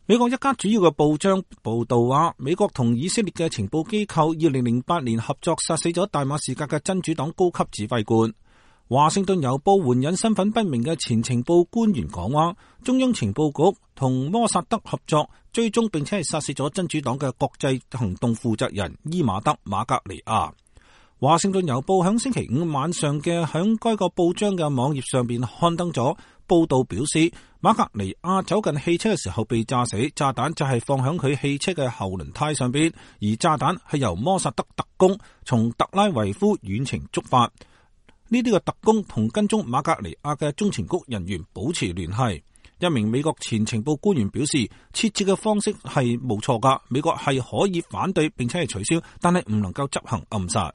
美國一家主要嘅報章報道話，美國同以色列嘅情報機構2008年合作殺死咗大馬士革嘅真主黨高級指揮官。華盛頓郵報援引身份不明嘅前情報官員講話，中央情報局同摩薩德合作追蹤並且係殺死咗真主黨嘅國際行動負責人伊馬德馬格尼亞。華盛頓郵報響星期五晚上嘅響該個報章嘅網頁上邊刊登咗報道，表示馬格尼亞走近汽車嘅時候被炸死，炸彈就係放響佢汽車嘅後輪胎上邊，而炸彈係由摩薩德特工從特拉維夫遠程觸發。呢啲嘅特工同跟蹤馬格尼亞嘅中情局人員保持聯繫。一名美國前情報官員表示，設置嘅方式係冇錯噶，美國係可以反對並且係取消，但係唔能夠執行暗殺。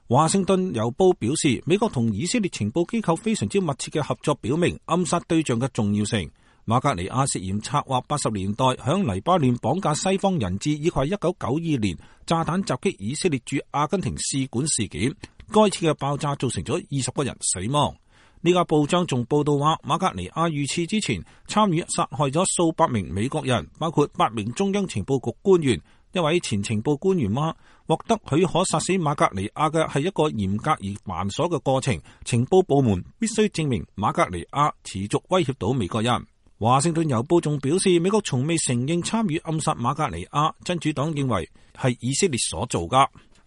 華盛頓郵報表示，美國同以色列情報機構非常之密切嘅合作，表明暗殺對象嘅重要性。馬格尼亞涉嫌策劃80年代響黎巴嫩綁架西方人質，以及1992年炸彈襲擊以色列駐阿根廷使館事件。該次嘅爆炸造成咗20個人死亡。呢家報章仲報道話，馬格尼亞遇刺之前參與殺害咗數百名美國人，包括8名中央情報局官員。一位前情報官員話，獲得許可殺死馬格尼亞嘅係一個嚴格而繁瑣嘅過程，情報部門必須證明馬格尼亞持續威脅到美國人。華盛頓郵報仲表示，美國從未承認參與暗殺馬格尼亞，真主黨認為係以色列所做㗎。